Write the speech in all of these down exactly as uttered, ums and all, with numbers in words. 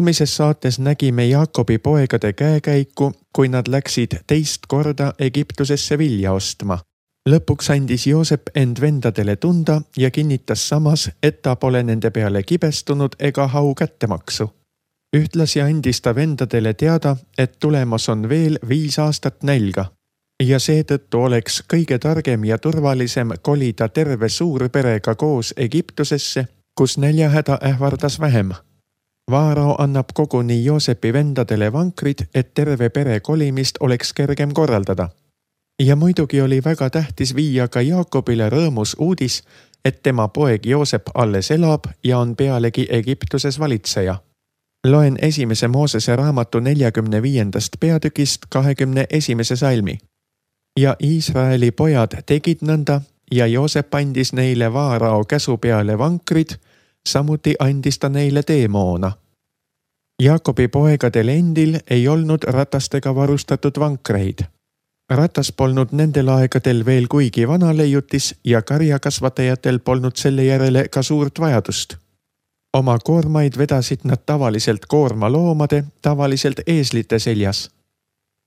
Järgmises saates nägime Jaakobi poegade käekäiku, kui nad läksid teist korda Egiptusesse vilja ostma. Lõpuks andis Joosep end vendadele tunda ja kinnitas samas, et ta pole nende peale kibestunud ega hau kättemaksu. Ühtlasi andis ta vendadele teada, et tulemas on veel viis aastat nälga ja seetõttu oleks kõige targem ja turvalisem kolida terve suurperega koos Egiptusesse, kus näljahäda ähvardas vähem. Vaarao annab koguni Joosepi vendadele vankrid, et terve pere kolimist oleks kergem korraldada. Ja muidugi oli väga tähtis viia ka Jaakobile rõõmus uudis, et tema poeg Joosep alles elab ja on pealegi Egiptuses valitseja. Loen esimese Moosese raamatu neljakümne viiendast peatükist kahekümne esimese salmi. Ja Iisraeli pojad tegid nõnda ja Joosep andis neile Vaarao käsu peale vankrid, samuti andis ta neile teemoona. Jaakobi poegadel endil ei olnud ratastega varustatud vankreid. Ratas polnud nendel aegadel veel kuigi vana leiutis ja karjakasvatajatel polnud selle järele ka suurt vajadust. Oma koormaid vedasid nad tavaliselt koormaloomade, tavaliselt eeslite seljas.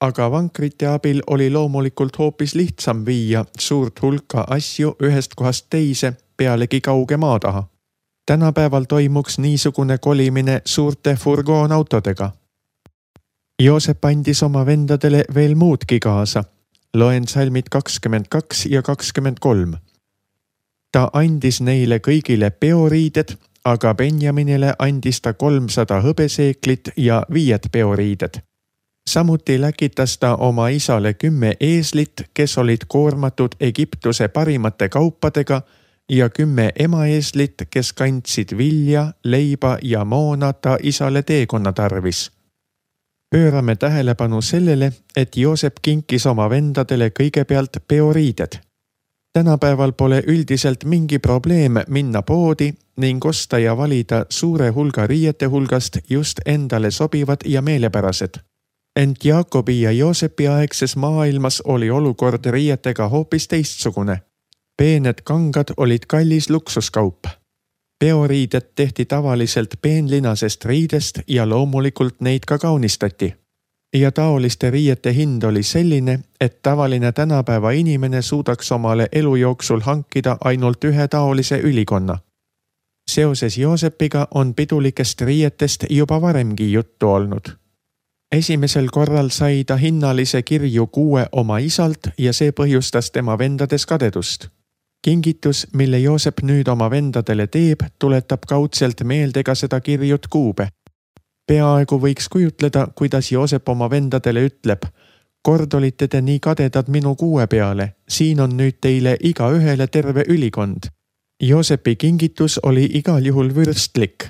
Aga vankrite abil oli loomulikult hoopis lihtsam viia suurt hulka asju ühest kohast teise pealegi kauge maa taha. Tänapäeval toimuks niisugune kolimine suurte furgoonautodega. Joosep andis oma vendadele veel muudki kaasa. Loen salmid kakskümmend kaks ja kakskümmend kolm. Ta andis neile kõigile peoriided, aga Benjaminile andis ta kolmsada hõbeseeklit ja viied peoriided. Samuti läkitas ta oma isale kümme eeslit, kes olid koormatud Egiptuse parimate kaupadega ja kümme emaeeslit, kes kandsid vilja, leiba ja moona ta isale teekonna tarvis. Pöörame tähelepanu sellele, et Joosep kinkis oma vendadele kõigepealt peoriided. Tänapäeval pole üldiselt mingi probleem minna poodi ning osta ja valida suure hulga riiete hulgast just endale sobivad ja meelepärased. Ent Jaakobi ja Joosepi aegses maailmas oli olukord riietega hoopis teistsugune. Peened kangad olid kallis luksuskaup. Peoriided tehti tavaliselt peenlinasest riidest ja loomulikult neid ka kaunistati. Ja taoliste riiete hind oli selline, et tavaline tänapäeva inimene suudaks omale elu jooksul hankida ainult ühe taolise ülikonna. Seoses Joosepiga on pidulikest riietest juba varemgi juttu olnud. Esimesel korral sai ta hinnalise kirju kuue oma isalt ja see põhjustas tema vendades kadedust. Kingitus, mille Joosep nüüd oma vendadele teeb, tuletab kaudselt meelde ka seda kirjut kuube. Peaaegu võiks kujutleda, kuidas Joosep oma vendadele ütleb: kord olite te nii kadedad minu kuue peale, siin on nüüd teile iga ühele terve ülikond. Joosepi kingitus oli igal juhul vürstlik.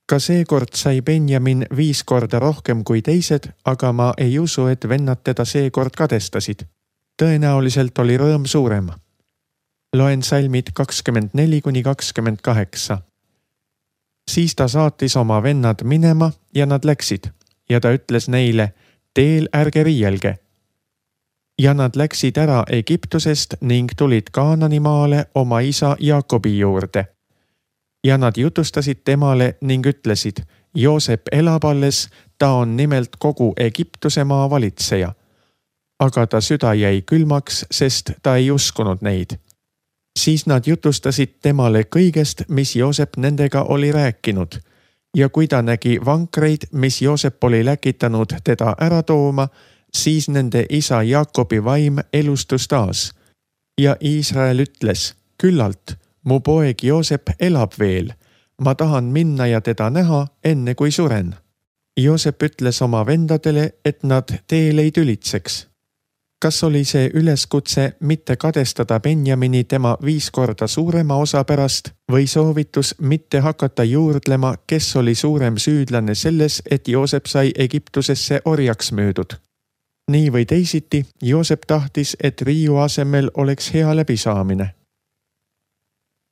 Ka seekord sai Benjamin viis korda rohkem kui teised, aga ma ei usu, et vennad teda seekord kadestasid. Tõenäoliselt oli rõõm suurem. Loen salmid kakskümmend neli kuni kakskümmend kaheksa. Siis ta saatis oma vennad minema ja nad läksid ja ta ütles neile: teel ärge riielge. Ja nad läksid ära Egiptusest ning tulid Kaananimaale oma isa Jaakobi juurde. Ja nad jutustasid temale ning ütlesid: Joosep elab alles, ta on nimelt kogu Egiptuse maa valitseja. Aga ta süda jäi külmaks, sest ta ei uskunud neid. Siis nad jutustasid temale kõigest, mis Joosep nendega oli rääkinud. Ja kui ta nägi vankreid, mis Joosep oli läkitanud teda ära tooma, siis nende isa Jaakobi vaim elustus taas. Ja Iisrael ütles: küllalt, mu poeg Joosep elab veel. Ma tahan minna ja teda näha, enne kui suren. Joosep ütles oma vendadele, et nad teel ei tülitseks. Kas oli see üleskutse mitte kadestada Benjamini tema viis korda suurema osa pärast või soovitus mitte hakata juurdlema, kes oli suurem süüdlane selles, et Joosep sai Egiptusesse orjaks müüdud? Nii või teisiti, Joosep tahtis, et riiu asemel oleks hea läbisaamine.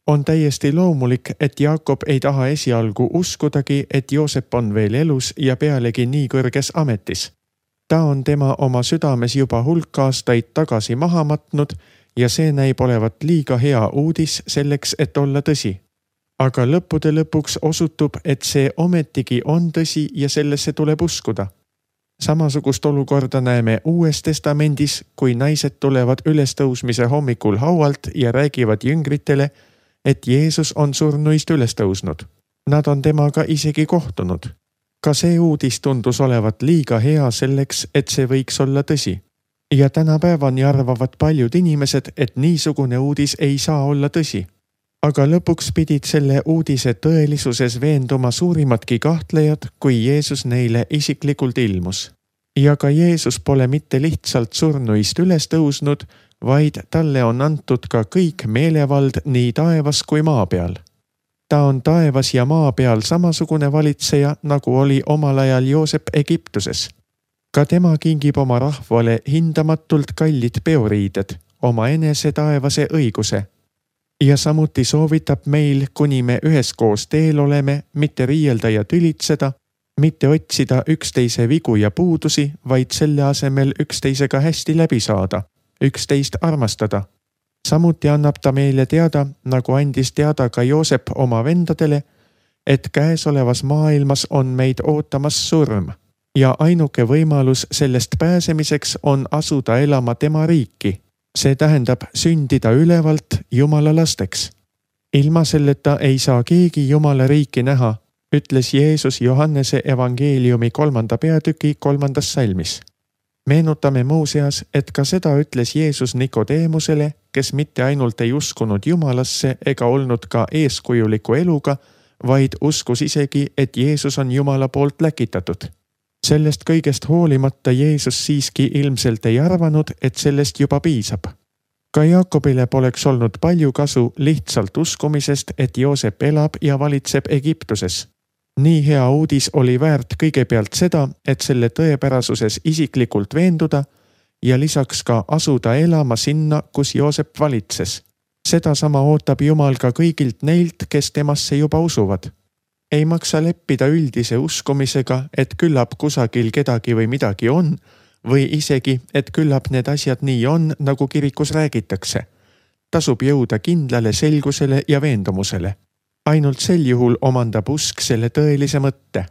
On täiesti loomulik, et Jaakob ei taha esialgu uskudagi, et Joosep on veel elus ja pealegi nii kõrges ametis. Ta on tema oma südames juba hulk aastaid tagasi maha matnud ja see näib olevat liiga hea uudis selleks, et olla tõsi. aga lõppude lõpuks osutub, et see ometigi on tõsi ja sellesse tuleb uskuda. Samasugust olukorda näeme Uues Testamendis, kui naised tulevad ülestõusmise hommikul haualt ja räägivad jüngritele, et Jeesus on surnuist üles tõusnud. Nad on temaga isegi kohtunud. Ka see uudis tundus olevat liiga hea selleks, et see võiks olla tõsi. Ja tänapäevani arvavad paljud inimesed, et niisugune uudis ei saa olla tõsi. Aga lõpuks pidid selle uudise tõelisuses veenduma suurimadki kahtlejad, kui Jeesus neile isiklikult ilmus. Ja ka Jeesus pole mitte lihtsalt surnuist üles tõusnud, vaid talle on antud ka kõik meelevald nii taevas kui maa peal. Ta on taevas ja maa peal samasugune valitseja, nagu oli omal ajal Joosep Egiptuses. Ka tema kingib oma rahvale hindamatult kallid peoriided, oma enese taevase õiguse. Ja samuti soovitab meil, kuni me üheskoos teel oleme, mitte riielda ja tülitseda, mitte otsida üksteise vigu ja puudusi, vaid selle asemel üksteisega hästi läbi saada, üksteist armastada. Samuti annab ta meile teada, nagu andis teada ka Joosep oma vendadele, et käesolevas maailmas on meid ootamas surm ja ainuke võimalus sellest pääsemiseks on asuda elama tema riiki. See tähendab sündida ülevalt Jumala lasteks. Ilma selleta ei saa keegi Jumala riiki näha, ütles Jeesus Johannese evangeeliumi kolmanda peatüki kolmandas salmis. Meenutame muuseas, et ka seda ütles Jeesus Nikodeemusele, kes mitte ainult ei uskunud Jumalasse ega olnud ka eeskujuliku eluga, vaid uskus isegi, et Jeesus on Jumala poolt läkitatud. Sellest kõigest hoolimata Jeesus siiski ilmselt ei arvanud, et sellest juba piisab. Ka Jaakobile poleks olnud palju kasu lihtsalt uskumisest, et Joosep elab ja valitseb Egiptuses. Nii hea uudis oli väärt kõigepealt seda, et selle tõepärasuses isiklikult veenduda ja lisaks ka asuda elama sinna, kus Joosep valitses. Seda sama ootab Jumal ka kõigilt neilt, kes temasse juba usuvad. Ei maksa leppida üldise uskumisega, et küllap kusagil kedagi või midagi on, või isegi, et küllap need asjad nii on, nagu kirikus räägitakse. Tasub jõuda kindlale selgusele ja veendumusele. Ainult sel juhul omandab usk selle tõelise mõtte.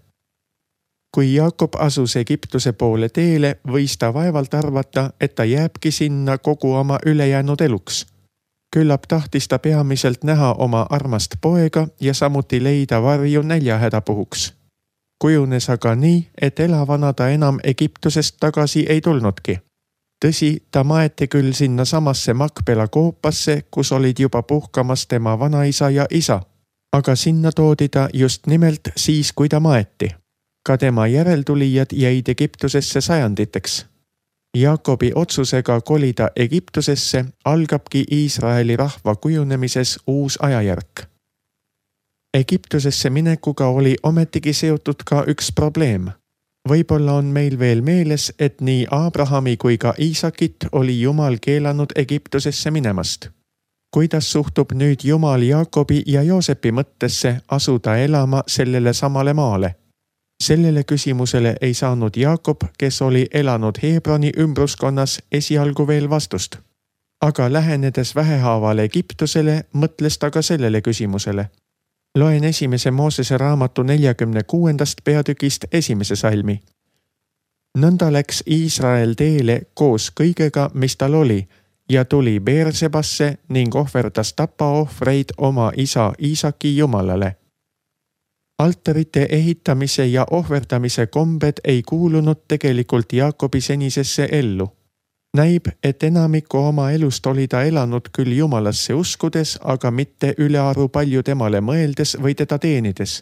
Kui Jaakob asus Egiptuse poole teele, võis ta vaevalt arvata, et ta jääbki sinna kogu oma ülejäänud eluks. Küllap tahtis ta peamiselt näha oma armast poega ja samuti leida varju näljahäda puhuks. Kujunes aga nii, et elavana ta enam Egiptusest tagasi ei tulnudki. Tõsi, ta maeti küll sinna samasse Makpela koopasse, kus olid juba puhkamas tema vanaisa ja isa, aga sinna toodi ta just nimelt siis, kui ta maeti. Ka tema järeltulijad jäid Egiptusesse sajanditeks. Jaakobi otsusega kolida Egiptusesse algabki Iisraeli rahva kujunemises uus ajajärk. Egiptusesse minekuga oli ometigi seotud ka üks probleem. Võib-olla on meil veel meeles, et nii Abrahami kui ka Iisakit oli Jumal keelanud Egiptusesse minemast. Kuidas suhtub nüüd Jumal Jaakobi ja Joosepi mõttesse asuda elama sellele samale maale? Sellele küsimusele ei saanud Jaakob, kes oli elanud Hebroni ümbruskonnas, esialgu veel vastust. Aga lähenedes vähehaaval Egiptusele, mõtles ta ka sellele küsimusele. Loen esimese Moosese raamatu neljakümne kuuendast peatükist esimese salmi. Nõnda läks Iisrael teele koos kõigega, mis tal oli, ja tuli Beersebasse ning ohverdas tapaohvreid oma isa Iisaki Jumalale. Altarite ehitamise ja ohverdamise kombed ei kuulunud tegelikult Jaakobi senisesse ellu. Näib, et enamiku oma elust oli ta elanud küll Jumalasse uskudes, aga mitte ülearu palju temale mõeldes või teda teenides.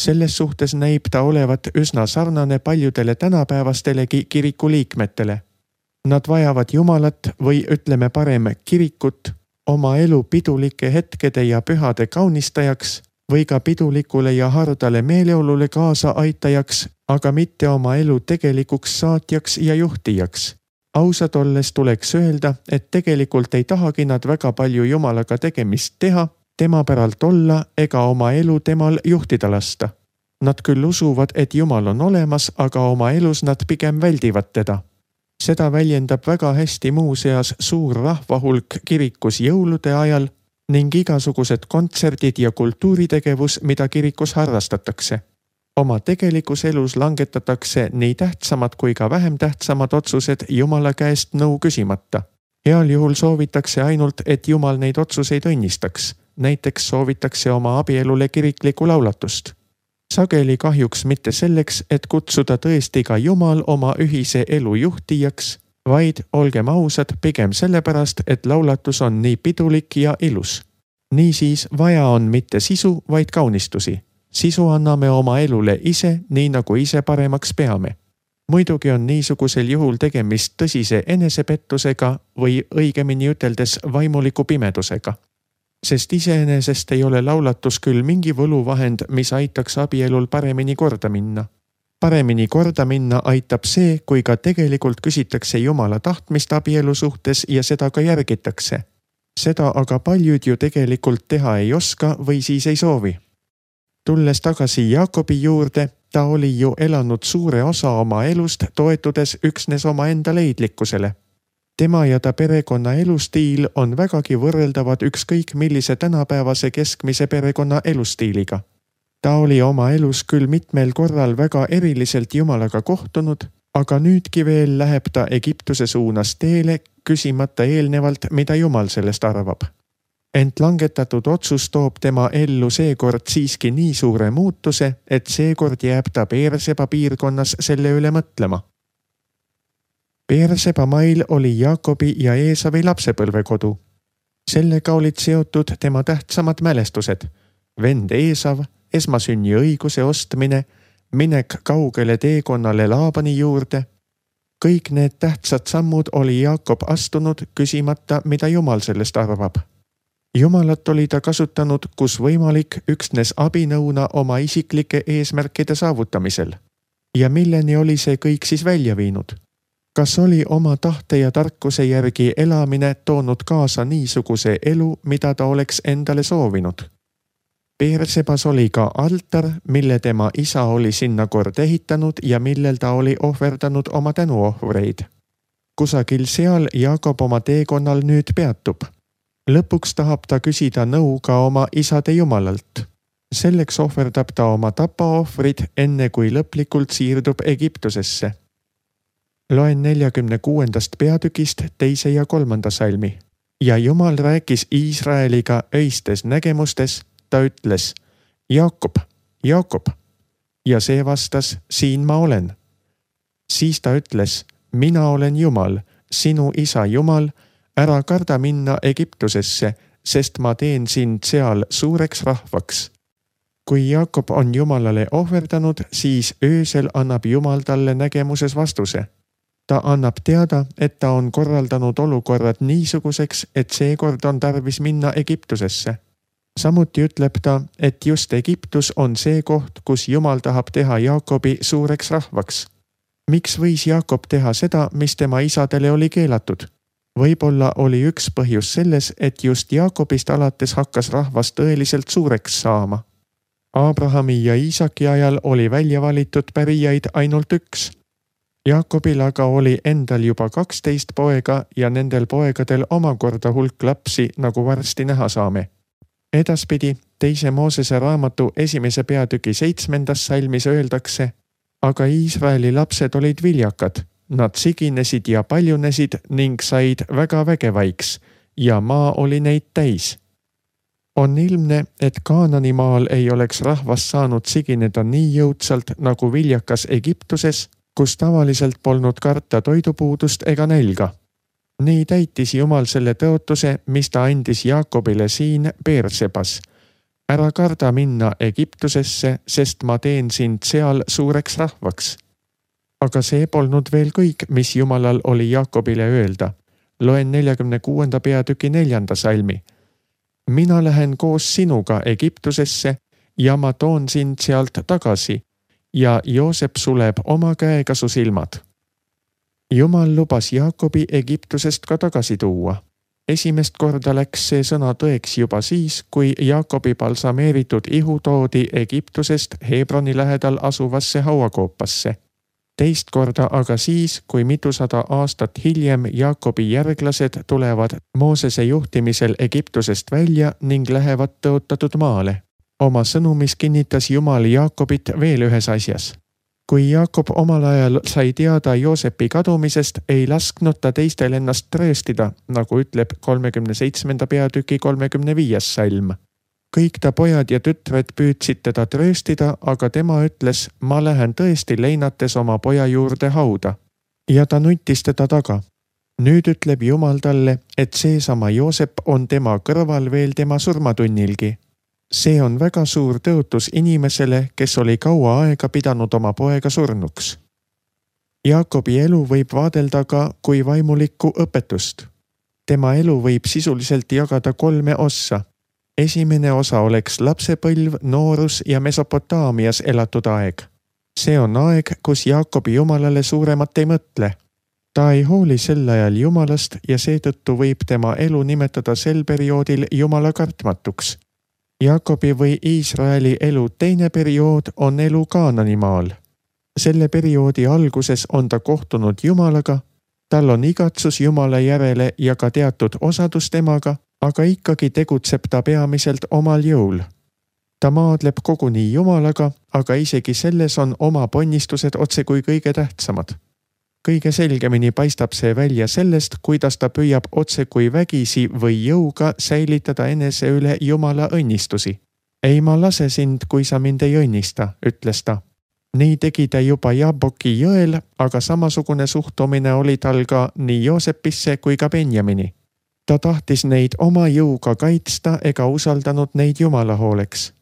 Selles suhtes näib ta olevat üsna sarnane paljudele tänapäevastelegi kiriku liikmetele. Nad vajavad Jumalat või ütleme parem kirikut oma elu pidulike hetkede ja pühade kaunistajaks või ka pidulikule ja hardale meeleolule kaasa aitajaks, aga mitte oma elu tegelikuks saatjaks ja juhtijaks. Ausad olles tuleks öelda, et tegelikult ei tahagi nad väga palju Jumalaga tegemist teha, tema päralt olla ega oma elu temal juhtida lasta. Nad küll usuvad, et Jumal on olemas, aga oma elus nad pigem väldivad teda. Seda väljendab väga hästi muuseas suur rahvahulk kirikus jõulude ajal, ning igasugused kontserdid ja kultuuritegevus, mida kirikus harrastatakse. Oma tegelikus elus langetatakse nii tähtsamad kui ka vähem tähtsamad otsused Jumala käest nõu küsimata. Heal juhul soovitakse ainult, et Jumal neid otsuseid õnnistaks. Näiteks soovitakse oma abielule kiriklikku laulatust. Sageli kahjuks mitte selleks, et kutsuda tõesti ka Jumal oma ühise elu juhtijaks, vaid olgem ausad pigem sellepärast, et laulatus on nii pidulik ja ilus. Niisiis vaja on mitte sisu, vaid kaunistusi. Sisu anname oma elule ise, nii nagu ise paremaks peame. Muidugi on niisugusel juhul tegemist tõsise enesepettusega või õigemini üteldes vaimuliku pimedusega. Sest iseenesest ei ole laulatus küll mingi võluvahend, mis aitaks abielul paremini korda minna. Paremini korda minna aitab see, kui ka tegelikult küsitakse Jumala tahtmist abielu suhtes ja seda ka järgitakse. Seda aga paljud ju tegelikult teha ei oska või siis ei soovi. Tulles tagasi Jaakobi juurde, ta oli ju elanud suure osa oma elust toetudes üksnes oma enda leidlikkusele. Tema ja ta perekonna elustiil on vägagi võrreldavad ükskõik millise tänapäevase keskmise perekonna elustiiliga. Ta oli oma elus küll mitmel korral väga eriliselt Jumalaga kohtunud, aga nüüdki veel läheb ta Egiptuse suunas teele, küsimata eelnevalt, mida Jumal sellest arvab. Ent langetatud otsus toob tema ellu seekord siiski nii suure muutuse, et seekord jääb ta Beerseba piirkonnas selle üle mõtlema. Beerseba mail oli Jaakobi ja Eesavi lapsepõlvekodu. Sellega olid seotud tema tähtsamad mälestused, vend Eesav, esmasünni õiguse ostmine, minek kaugele teekonnale Laabani juurde. Kõik need tähtsad sammud oli Jaakob astunud, küsimata, mida Jumal sellest arvab. Jumalat oli ta kasutanud, kus võimalik, üksnes abinõuna oma isiklike eesmärkide saavutamisel. Ja milleni oli see kõik siis välja viinud? Kas oli oma tahte ja tarkuse järgi elamine toonud kaasa niisuguse elu, mida ta oleks endale soovinud? Beersebas oli ka altar, mille tema isa oli sinna kord ehitanud ja millel ta oli ohverdanud oma tänuohvreid. Kusagil seal Jaakob oma teekonnal nüüd peatub. Lõpuks tahab ta küsida nõu ka oma isade Jumalalt. Selleks ohverdab ta oma tapaohvrid, enne kui lõplikult siirdub Egiptusesse. Loen neljakümne kuuendast peatükist teise ja kolmanda salmi. Ja Jumal rääkis Iisraeliga öistes nägemustes, ta ütles, Jaakob, Jaakob. Ja see vastas, siin ma olen. Siis ta ütles, mina olen Jumal, sinu isa Jumal, ära karda minna Egiptusesse, sest ma teen sind seal suureks rahvaks. Kui Jaakob on Jumalale ohverdanud, siis öösel annab Jumal talle nägemuses vastuse. Ta annab teada, et ta on korraldanud olukorrad niisuguseks, et seekord on tarvis minna Egiptusesse. Samuti ütleb ta, et just Egiptus on see koht, kus Jumal tahab teha Jaakobi suureks rahvaks. Miks võis Jaakob teha seda, mis tema isadele oli keelatud? Võib-olla oli üks põhjus selles, et just Jaakobist alates hakkas rahvas tõeliselt suureks saama. Abrahami ja Iisaki ajal oli välja valitud pärijaid ainult üks. Jaakobil aga oli endal juba kaksteist poega ja nendel poegadel omakorda hulk lapsi, nagu varsti näha saame. Edaspidi teise Moosese raamatu esimese peatüki seitsmendas salmis öeldakse, aga Iisraeli lapsed olid viljakad. Nad siginesid ja paljunesid ning said väga vägevaiks ja maa oli neid täis. On ilmne, et Kaanani maal ei oleks rahvas saanud sigineda nii jõudsalt nagu viljakas Egiptuses, kus tavaliselt polnud karta toidupuudust ega nälga. Nii täitis Jumal selle tõotuse, mis ta andis Jaakobile siin Beersebas. Ära karda minna Egiptusesse, sest ma teen sind seal suureks rahvaks. Aga see polnud veel kõik, mis Jumalal oli Jaakobile öelda. Loen neljakümne kuuenda peatüki neljanda salmi. Mina lähen koos sinuga Egiptusesse ja ma toon sind sealt tagasi ja Joosep suleb oma käega su silmad. Jumal lubas Jaakobi Egiptusest ka tagasi tuua. Esimest korda läks see sõna tõeks juba siis, kui Jaakobi balsameeritud ihu toodi Egiptusest Hebroni lähedal asuvasse hauakoopasse. teist korda aga siis, kui mitusada aastat hiljem Jaakobi järglased tulevad Moosese juhtimisel Egiptusest välja ning lähevad tõotatud maale. Oma sõnumis kinnitas Jumal Jaakobit veel ühes asjas. Kui Jaakob omal ajal sai teada Joosepi kadumisest, ei lasknud ta teistel ennast trööstida, nagu ütleb kolmekümne seitsmenda peatüki kolmekümne viies salm. Kõik ta pojad ja tütred püüdsid teda trööstida, aga tema ütles, ma lähen tõesti leinates oma poja juurde hauda. Ja ta nuttis teda taga. Nüüd ütleb Jumal talle, et seesama Joosep on tema kõrval veel tema surmatunnilgi. See on väga suur tõotus inimesele, kes oli kaua aega pidanud oma poega surnuks. Jaakobi elu võib vaadelda ka kui vaimulikku õpetust. Tema elu võib sisuliselt jagada kolme ossa. Esimene osa oleks lapsepõlv, noorus ja Mesopotaamias elatud aeg. See on aeg, kus Jaakobi Jumalale suuremat ei mõtle. Ta ei hooli sel ajal Jumalast ja seetõttu võib tema elu nimetada sel perioodil Jumala kartmatuks. Jaakobi või Iisraeli elu teine periood on elu Kaananimaal. Selle perioodi alguses on ta kohtunud Jumalaga, tal on igatsus Jumala järele ja ka teatud osadus temaga, aga ikkagi tegutseb ta peamiselt omal jõul. Ta maadleb koguni Jumalaga, aga isegi selles on oma ponnistused otse kui kõige tähtsamad. Kõige selgemini paistab see välja sellest, kuidas ta püüab otse kui vägisi või jõuga säilitada enese üle Jumala õnnistusi. Ei ma lase sind, kui sa mind ei õnnista, ütles ta. Nii tegi ta juba Jaaboki jõel, aga samasugune suhtumine oli tal ka nii Joosepisse kui ka Benjamini. Ta tahtis neid oma jõuga kaitsta ega usaldanud neid Jumala hooleks.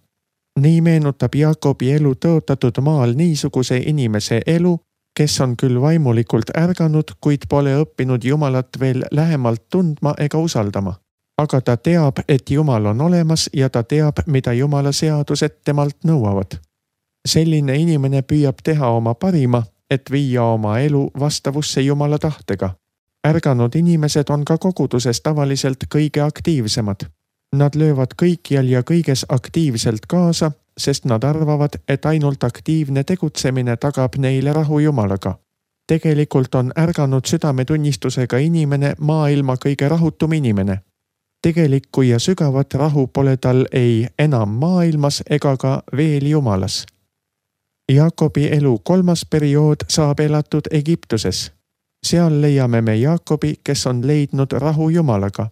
Nii meenutab Jaakobi elu tõotatud maal niisuguse inimese elu, kes on küll vaimulikult ärganud, kuid pole õppinud Jumalat veel lähemalt tundma ega usaldama. Aga ta teab, et Jumal on olemas ja ta teab, mida Jumala seadused temalt nõuavad. Selline inimene püüab teha oma parima, et viia oma elu vastavusse Jumala tahtega. Ärganud inimesed on ka koguduses tavaliselt kõige aktiivsemad. Nad löövad kõikjal ja kõiges aktiivselt kaasa, sest nad arvavad, et ainult aktiivne tegutsemine tagab neile rahu Jumalaga. Tegelikult on ärganud südametunnistusega inimene maailma kõige rahutum inimene. Tegelikku ja sügavat rahu pole tal ei enam maailmas ega ka veel Jumalas. Jaakobi elu kolmas periood saab elatud Egiptuses. Seal leiame me Jaakobi, kes on leidnud rahu Jumalaga.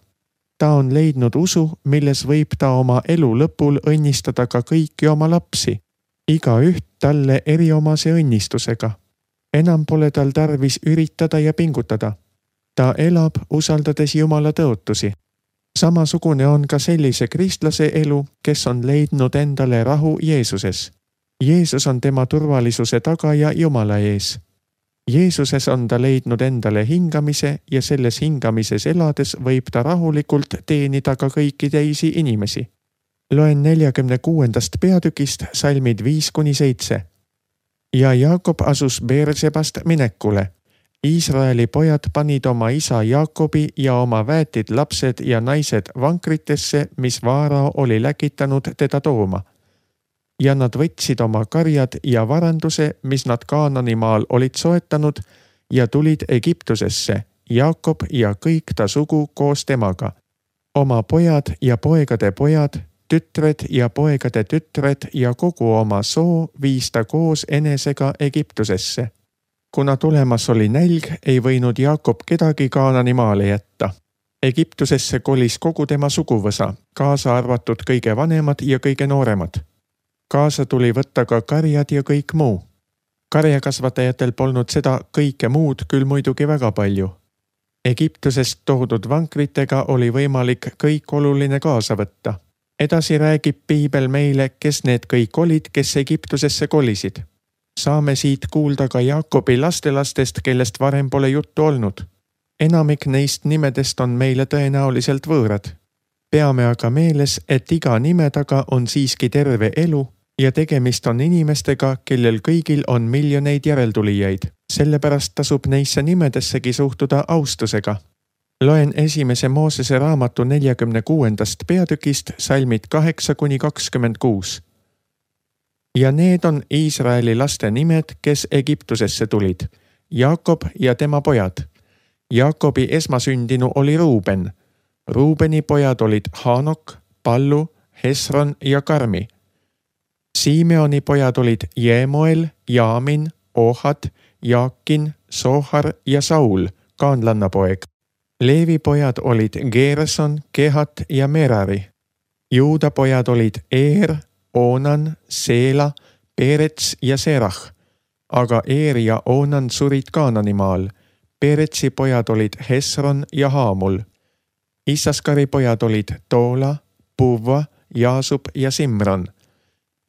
Ta on leidnud usu, milles võib ta oma elu lõpul õnnistada ka kõiki oma lapsi, iga üht talle eriomase õnnistusega. Enam pole tal tarvis üritada ja pingutada. Ta elab, usaldades Jumala tõotusi. Samasugune on ka sellise kristlase elu, kes on leidnud endale rahu Jeesuses. Jeesus on tema turvalisuse tagaja Jumala ees. Jeesuses on ta leidnud endale hingamise ja selles hingamises elades võib ta rahulikult teenida ka kõiki teisi inimesi. Loen neljakümne kuuendast peatükist salmid viis kuni seitse. Ja Jaakob asus Beersebast minekule. Iisraeli pojad panid oma isa Jaakobi ja oma väetid lapsed ja naised vankritesse, mis Vaarao oli läkitanud teda tooma. Ja nad võtsid oma karjad ja varanduse, mis nad Kaananimaal olid soetanud, ja tulid Egiptusesse, Jaakob ja kõik ta sugu koos temaga. Oma pojad ja poegade pojad, tütred ja poegade tütred ja kogu oma soo viis ta koos enesega Egiptusesse. Kuna tulemas oli nälg, ei võinud Jaakob kedagi Kaananimaale jätta. Egiptusesse kolis kogu tema suguvõsa, kaasa arvatud kõige vanemad ja kõige nooremad. Kaasa tuli võtta ka karjad ja kõik muu. Karjakasvatajatel polnud seda kõike muud küll muidugi väga palju. Egiptusest toodud vankritega oli võimalik kõik oluline kaasa võtta. Edasi räägib Piibel meile, kes need kõik olid, kes Egiptusesse kolisid. Saame siit kuulda ka Jaakobi lastelastest, kellest varem pole juttu olnud. Enamik neist nimedest on meile tõenäoliselt võõrad. Peame aga meeles, et iga nime taga on siiski terve elu ja tegemist on inimestega, kellel kõigil on miljoneid järeltulijaid. Sellepärast tasub neisse nimedessegi suhtuda austusega. Loen esimese Moosese raamatu neljakümne kuuendast peatükist salmid kaheksa kuni kakskümmend kuus. Ja need on Iisraeli laste nimed, kes Egiptusesse tulid. Jaakob ja tema pojad. Jaakobi esmasündinu oli Ruuben. Ruubeni pojad olid Hanok, Pallu, Hesron ja Karmi. Simeoni pojad olid Jeemoel, Jaamin, Ohad, Jaakin, Sohar ja Saul, kaanlanna poeg. Leevi pojad olid Geerson, Kehat ja Merari. Juuda pojad olid Eer, Oonan, Seela, Perets ja Serah. Aga Eer ja Oonan surid Kaananimaal. Peretsi pojad olid Hesron ja Haamul. Issaskari pojad olid Toola, Puvva, Jaasub ja Simron.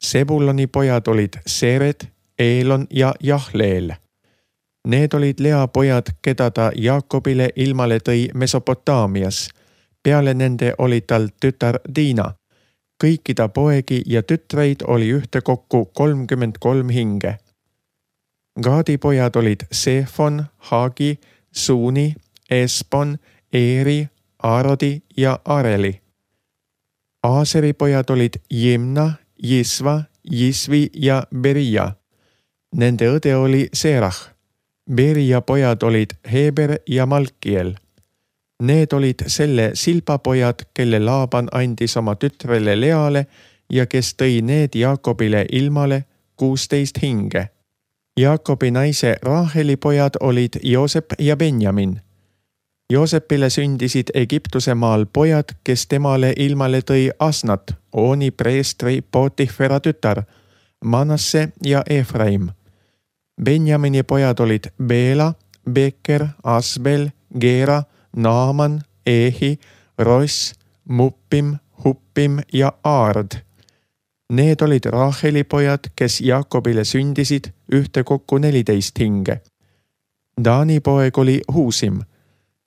Sebuloni pojad olid Sered, Eelon ja Jahleel. Need olid Lea pojad, keda ta Jaakobile ilmale tõi Mesopotaamias. Peale nende oli tal tütar Diina. Kõiki ta poegi ja tütreid oli ühtekokku kolmkümmend kolm hinge. Gaadi pojad olid Seefon, Haagi, Suuni, Espon, Eeri, Aarodi ja Areli. Aaseri pojad olid Jimna, Jisva, Jisvi ja Beria. Nende õde oli Serah. Beria pojad olid Heber ja Malkiel. Need olid selle Silpa pojad, kelle Laaban andis oma tütrele Leale ja kes tõi need Jaakobile ilmale kuusteist hinge. Jaakobi naise Raaheli pojad olid Joosep ja Benjamin. Joosepile sündisid Egiptuse maal pojad, kes temale ilmale tõi Asnat, Ooni preestri Potifera tütar, Manasse ja Efraim. Benjamini pojad olid Beela, Beker, Asbel, Geera, Naaman, Ehi, Ross, Muppim, Huppim ja Aard. Need olid Raaheli pojad, kes Jaakobile sündisid ühtekokku neliteist hinge. Daani poeg oli Huusim.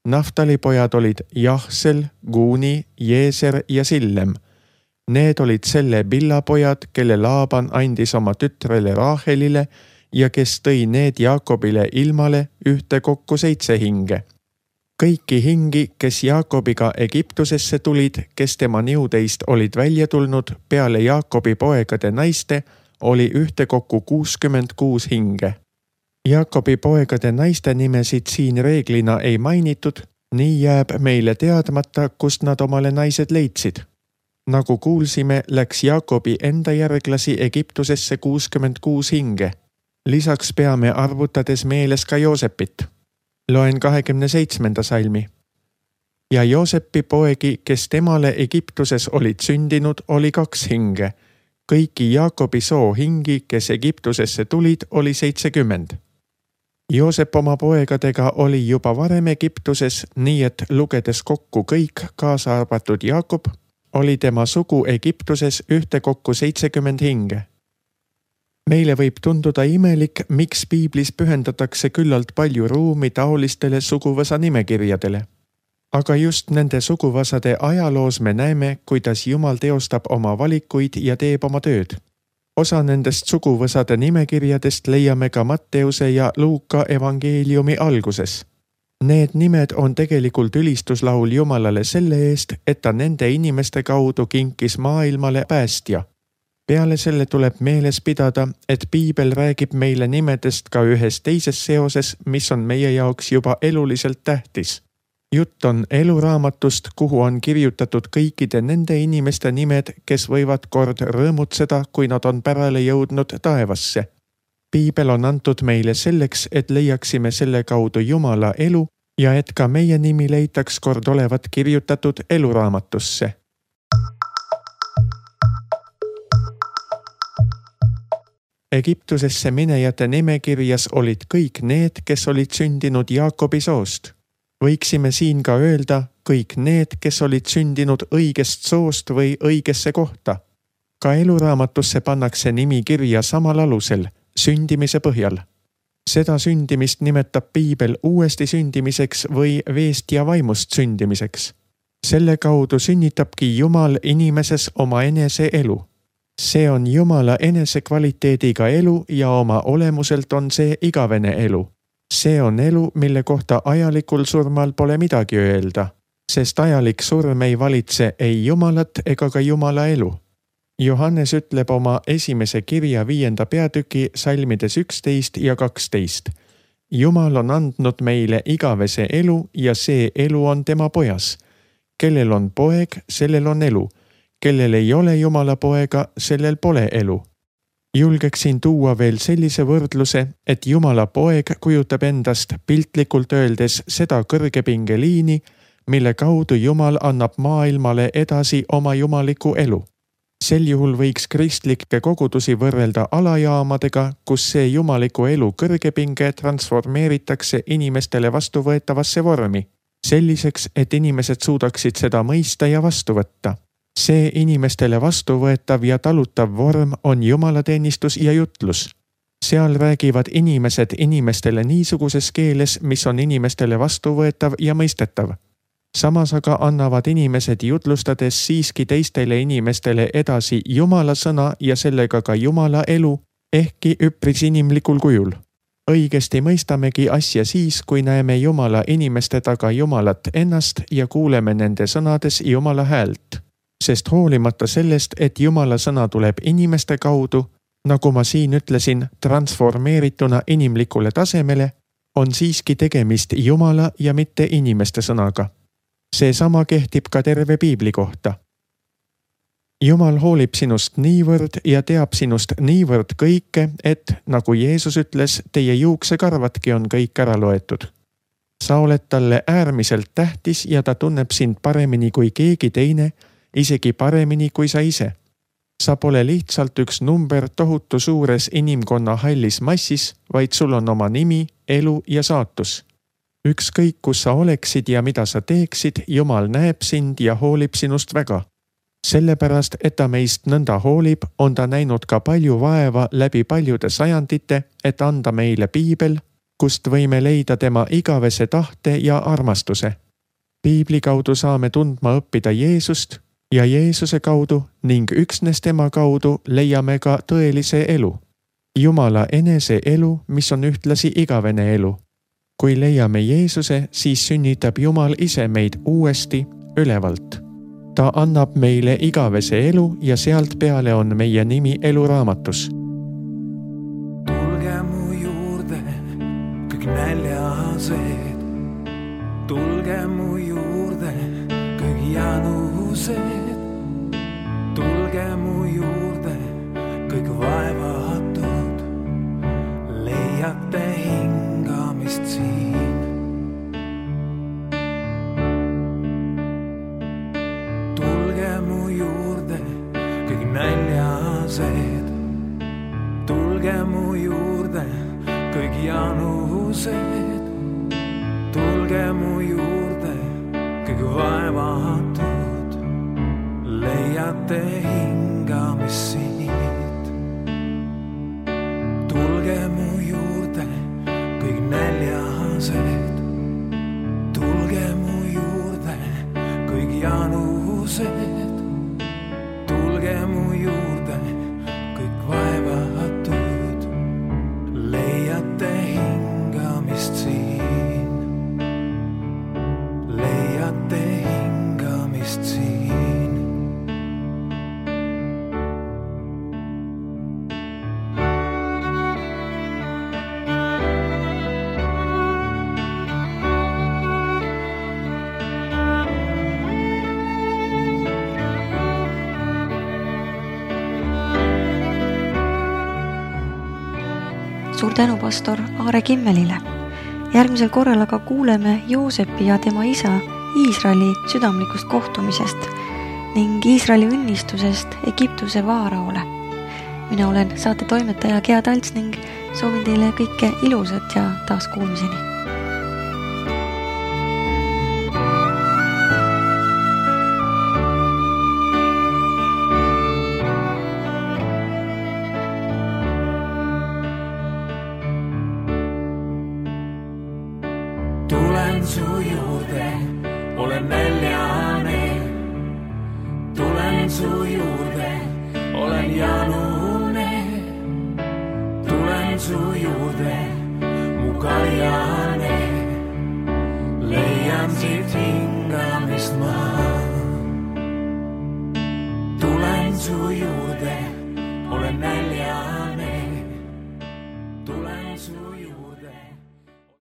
Naftali pojad olid Jahsel, Guuni, Jeeser ja Sillem. Need olid selle Billa pojad, kelle Laaban andis oma tütrele Raahelile ja kes tõi need Jaakobile ilmale ühtekokku seitse hinge. Kõiki hingi, kes Jaakobiga Egiptusesse tulid, kes tema niudeist olid välja tulnud peale Jaakobi poegade naiste, oli ühtekokku kuuskümmend kuus hinge. Jaakobi poegade naiste nimesid siin reeglina ei mainitud, nii jääb meile teadmata, kust nad omale naised leidsid. Nagu kuulsime, läks Jaakobi enda järglasi Egiptusesse kuuskümmend kuus hinge. Lisaks peame arvutades meeles ka Joosepit. Loen kahekümne seitsmenda salmi. Ja Joosepi poegi, kes temale Egiptuses olid sündinud, oli kaks hinge. Kõiki Jaakobi soo hingi, kes Egiptusesse tulid, oli seitsekümmend. Joosep oma poegadega oli juba varem Egiptuses, nii et lugedes kokku kõik, kaasa arvatud Jaakob, oli tema sugu Egiptuses ühtekokku seitsekümmend hinge. Meile võib tunduda imelik, miks piiblis pühendatakse küllalt palju ruumi taolistele suguvõsa nimekirjadele. Aga just nende suguvõsade ajaloos me näeme, kuidas Jumal teostab oma valikuid ja teeb oma tööd. Osa nendest suguvõsade nimekirjadest leiame ka Matteuse ja Luuka evangeeliumi alguses. Need nimed on tegelikult ülistuslaul Jumalale selle eest, et ta nende inimeste kaudu kinkis maailmale päästja. Peale selle tuleb meeles pidada, et piibel räägib meile nimedest ka ühes teises seoses, mis on meie jaoks juba eluliselt tähtis. Jutt on eluraamatust, kuhu on kirjutatud kõikide nende inimeste nimed, kes võivad kord rõõmutseda, kui nad on pärale jõudnud taevasse. Piibel on antud meile selleks, et leiaksime selle kaudu Jumala elu ja et ka meie nimi leitaks kord olevat kirjutatud eluraamatusse. Egiptusesse minejate nimekirjas olid kõik need, kes olid sündinud Jaakobi soost. Võiksime siin ka öelda kõik need, kes olid sündinud õigest soost või õigesse kohta. Ka eluraamatusse pannakse nimi kirja samal alusel, sündimise põhjal. Seda sündimist nimetab piibel uuesti sündimiseks või veest ja vaimust sündimiseks. Selle kaudu sünnitabki Jumal inimeses oma enese elu. See on Jumala enese kvaliteediga elu ja oma olemuselt on see igavene elu. See on elu, mille kohta ajalikul surmal pole midagi öelda, sest ajalik surm ei valitse ei Jumalat ega ka Jumala elu. Johannes ütleb oma esimese kirja viienda peatüki salmides üksteist ja kaksteist. Jumal on andnud meile igavese elu ja see elu on tema pojas. Kellel on poeg, sellel on elu. Kellel ei ole Jumala poega, sellel pole elu. Julgeksin tuua veel sellise võrdluse, et Jumala poeg kujutab endast piltlikult öeldes seda kõrgepingeliini, mille kaudu Jumal annab maailmale edasi oma jumaliku elu. Sel juhul võiks kristlikke kogudusi võrrelda alajaamadega, kus see jumaliku elu kõrgepinge transformeeritakse inimestele vastuvõetavasse vormi, selliseks, et inimesed suudaksid seda mõista ja vastu võtta. See inimestele vastuvõetav ja talutav vorm on jumalateenistus ja jutlus. Seal räägivad inimesed inimestele niisuguses keeles, mis on inimestele vastuvõetav ja mõistetav. Samas aga annavad inimesed jutlustades siiski teistele inimestele edasi Jumala sõna ja sellega ka Jumala elu, ehkki üpris inimlikul kujul. Õigesti mõistamegi asja siis, kui näeme Jumala inimeste taga Jumalat ennast ja kuuleme nende sõnades Jumala häält. Sest hoolimata sellest, et Jumala sõna tuleb inimeste kaudu, nagu ma siin ütlesin, transformeerituna inimlikule tasemele, on siiski tegemist Jumala ja mitte inimeste sõnaga. See sama kehtib ka terve Piibli kohta. Jumal hoolib sinust niivõrd ja teab sinust niivõrd kõike, et, nagu Jeesus ütles, teie juuksekarvadki on kõik ära loetud. Sa oled talle äärmiselt tähtis ja ta tunneb sind paremini kui keegi teine, isegi paremini kui sa ise. Sa pole lihtsalt üks number tohutu suures inimkonna hallis massis, vaid sul on oma nimi, elu ja saatus. Ükskõik, kus sa oleksid ja mida sa teeksid, Jumal näeb sind ja hoolib sinust väga. Sellepärast, et ta meist nõnda hoolib, on ta näinud ka palju vaeva läbi paljude sajandite, et anda meile Piibel, kust võime leida tema igavese tahte ja armastuse. Piibli kaudu saame tundma õppida Jeesust ja Jeesuse kaudu ning üksnes tema kaudu leiame ka tõelise elu. Jumala enese elu, mis on ühtlasi igavene elu. Kui leiame Jeesuse, siis sünnitab Jumal ise meid uuesti ülevalt. Ta annab meile igavese elu ja sealt peale on meie nimi eluraamatus. Tulge mu juurde, kõik näljased. Tulge mu juurde, kõik janused. Tulge mu juurde, kõik vaevatud. Leiate hingamist siin. Tulge mu juurde, kõik näljased. Tulge mu juurde, kõik janused. Tulge mu juurde, kõik vaevatud. Leiate hingamist siit. Tulge mu juurde, kõik näljased. Tulge mu juurde, kõik janused. Tulge mu juurde, kõik vaevatud. Leiate hingamist siin. Leiate hingamist siin. Suur tänu pastor Aare Kimmelile. Järgmisel korral aga kuuleme Joosepi ja tema isa Iisraeli südamlikust kohtumisest ning Iisraeli õnnistusest Egiptuse vaaraole. Mina olen saate toimetaja Gea Talts ning soovin teile kõike ilusat ja taas kuulmiseni. Tulen su juurde, olen näljane. Tulen su juurde, olen janune. Tulen su juurde, mu karja